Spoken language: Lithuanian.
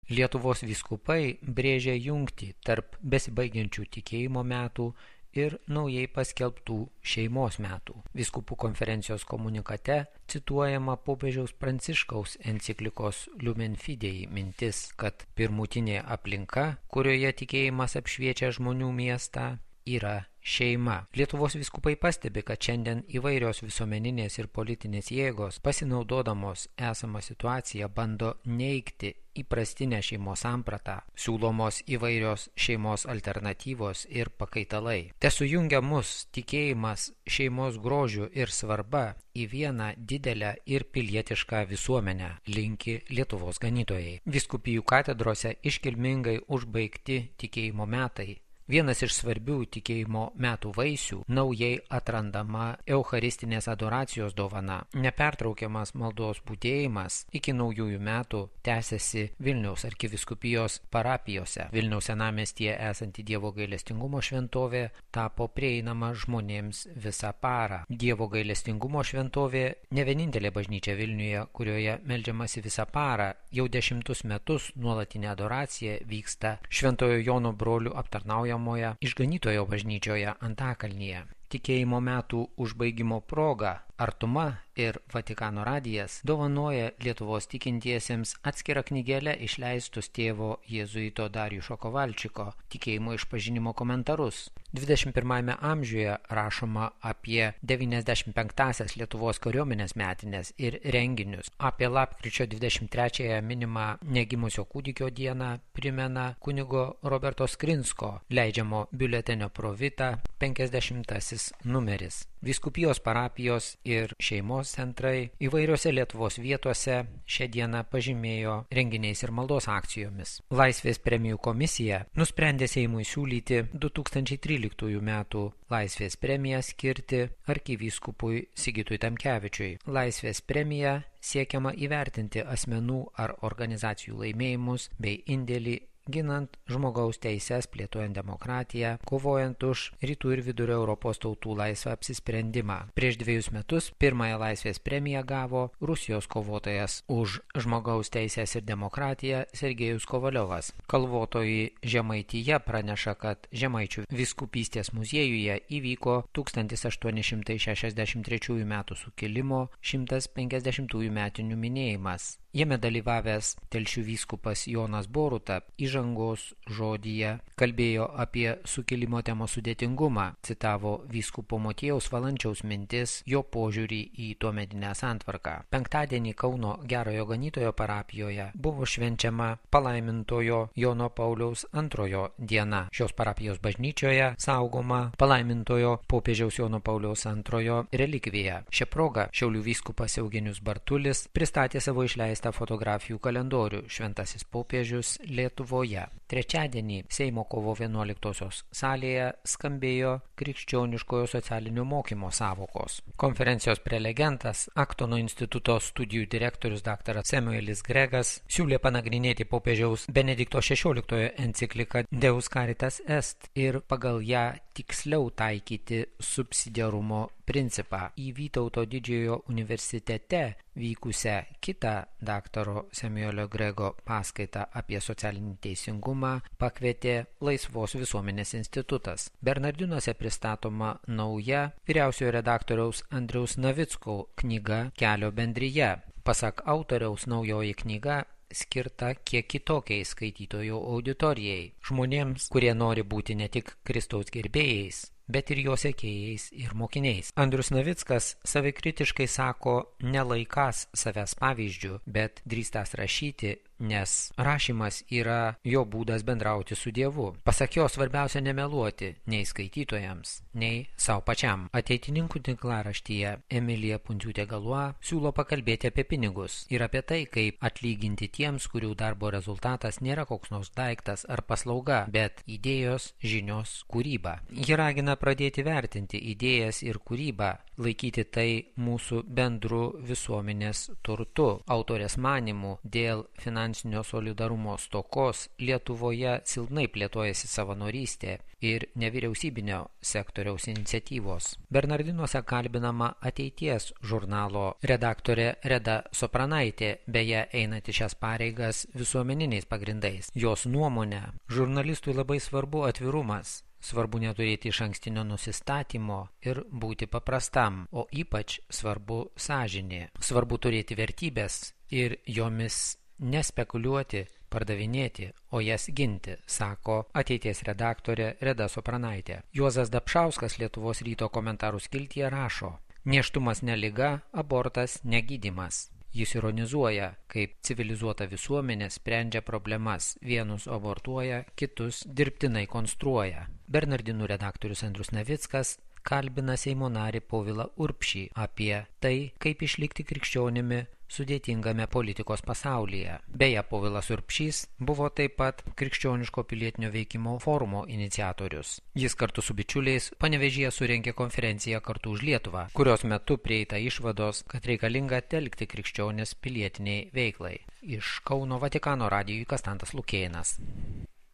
Lietuvos vyskupai brėžia jungtį tarp besibaigiančių tikėjimo metų ir naujai paskelbtų šeimos metų. Vyskupų konferencijos komunikate cituojama popiežiaus Pranciškaus enciklikos Lumen Fidei mintis, kad pirmutinė aplinka, kurioje tikėjimas apšviečia žmonių miestą, yra šeima. Lietuvos vyskupai pastebi, kad šiandien įvairios visuomeninės ir politinės jėgos, pasinaudodamos esamą situaciją, bando neigti įprastinę šeimos sampratą, siūlomos įvairios šeimos alternatyvos ir pakaitalai. Tesujungia mus tikėjimas šeimos grožiu ir svarba į vieną didelę ir pilietišką visuomenę, linki Lietuvos ganytojai. Vyskupijų katedrose iškilmingai užbaigti tikėjimo metai. Vienas iš svarbių tikėjimo metų vaisių – naujai atrandama eucharistinės adoracijos dovana. Nepertraukiamas maldos būdėjimas iki naujųjų metų tęsiasi Vilniaus arkivyskupijos parapijose. Vilniaus senamiestyje esanti Dievo gailestingumo šventovė tapo prieinama žmonėms visą parą. Dievo gailestingumo šventovė ne vienintelė bažnyčia Vilniuje, kurioje meldžiamasi visą parą. Jau 10 metus nuolatinė adoracija vyksta Šventojo Jono brolių aptarnaujamoje Išganytojo bažnyčioje Antakalnyje. Tikėjimo metų užbaigimo proga Artuma ir Vatikano radijas dovanoja Lietuvos tikintiesiems atskirą knygelę išleistus tėvo jėzuito Darijušo Kovalčiko tikėjimo išpažinimo komentarus. 21 amžiuje rašoma apie 95-asias Lietuvos kariuomenės metinės ir renginius. Apie lapkričio 23-ąją minimą negimusio kūdikio dieną primena kunigo Roberto Skrinsko leidžiamo biuletenio Pro Vita 50-asis numeris. Vyskupijos parapijos ir šeimos centrai įvairiose Lietuvos vietose šią dieną pažymėjo renginiais ir maldos akcijomis. Laisvės premijų komisija nusprendė Seimui siūlyti 2013 metų Laisvės premiją skirti arkivyskupui Sigitui Tamkevičiui. Laisvės premija siekiama įvertinti asmenų ar organizacijų laimėjimus bei indėlį ginant žmogaus teises, plėtojant demokratiją, kovojant už rytų ir vidurio Europos tautų laisvą apsisprendimą. Prieš 2 metus pirmąją laisvės premiją gavo Rusijos kovotojas už žmogaus teises ir demokratiją Sergejus Kovaliovas. Kalvotoji Žemaityje praneša, kad Žemaičių vyskupystės muziejuje įvyko 1863 metų sukilimo 150 metinių minėjimas. Jame dalyvavęs Telšių vyskupas Jonas Boruta įžangos žodyje kalbėjo apie sukilimo temos sudėtingumą, citavo vyskupo Motiejaus Valančiaus mintis, jo požiūrį į tuometinę santvarką. Penktadienį Kauno Gerojo Ganytojo parapijoje buvo švenčiama palaimintojo Jono Pauliaus II diena. Šios parapijos bažnyčioje saugoma palaimintojo popiežiaus Jono Pauliaus II relikvija. Šią progą Šiaulių vyskupas Eugenijus Bartulis pristatė savo išleistą fotografijų kalendorių Šventasis popiežius Lietuvoje. Trečiadienį Seimo kovo 11-osios salėje skambėjo krikščioniškojo socialinio mokymo sąvokos. Konferencijos prelegentas, Aktono instituto studijų direktorius dr. Samuelis Gregas siūlė panagrinėti popiežiaus Benedikto XVI encikliką Deus Caritas Est ir pagal ją tiksliau taikyti subsidiarumo principą. Į Vytauto didžiojo universitete vykusią kitą dr. Samuelio Grego paskaitą apie socialinį teisingumą pakvietė Laisvos visuomenės institutas. Bernardinuose pristatoma nauja vyriausiojo redaktoriaus Andriaus Navicko knyga Kelio bendrija. Pasak autoriaus, naujoji knyga skirta kiek kitokiai skaitytojų auditorijai. Žmonėms, kurie nori būti ne tik Kristaus gerbėjais, bet ir jo sekėjais ir mokiniais. Andrius Navickas savikritiškai sako, nelaikas savęs pavyzdžių, bet drįstas rašyti, nes rašymas yra jo būdas bendrauti su Dievu. Pasak jo, svarbiausia nemeluoti nei skaitytojams, nei savo pačiam. Ateitininkų tinklaraštyje Emilija Pundziūtė Galua siūlo pakalbėti apie pinigus ir apie tai, kaip atlyginti tiems, kurių darbo rezultatas nėra koks nors daiktas ar paslauga, bet idėjos, žinios, kūryba. Ji ragina pradėti vertinti idėjas ir kūrybą laikyti tai mūsų bendru visuomenės turtu. Autorės manymų dėl finansinio solidarumo stokos Lietuvoje silpnai plėtojasi savanorystė ir nevyriausybinio sektoriaus iniciatyvos. Bernardinuose kalbinama Ateities žurnalo redaktorė Reda Sopranaitė, beje einanti šias pareigas visuomeniniais pagrindais. Jos nuomonė, žurnalistui labai svarbu atvirumas. Svarbu neturėti išankstinio nusistatymo ir būti paprastam, o ypač svarbu sąžinė. Svarbu turėti vertybės ir jomis nespekuliuoti, pardavinėti, o jas ginti, sako Ateities redaktorė Reda Sopranaitė. Juozas Dapšauskas Lietuvos ryto komentarų skiltyje rašo: nėštumas ne liga, abortas ne gydymas. Jis ironizuoja, kaip civilizuota visuomenė sprendžia problemas, vienus abortuoja, kitus dirbtinai konstruoja. Bernardinų redaktorius Andrius Navickas kalbina Seimo narį Povilą Urbšį apie tai, kaip išlikti krikščionimi sudėtingame politikos pasaulyje. Beje, Povilas Urbšys buvo taip pat krikščioniško pilietinio veikimo forumo iniciatorius. Jis kartu su bičiuliais Panevėžyje surengė konferenciją Kartu už Lietuvą, kurios metu prieita išvados, kad reikalinga telkti krikščionis pilietiniai veiklai. Iš Kauno Vatikano radijui Kastantas Lukėnas.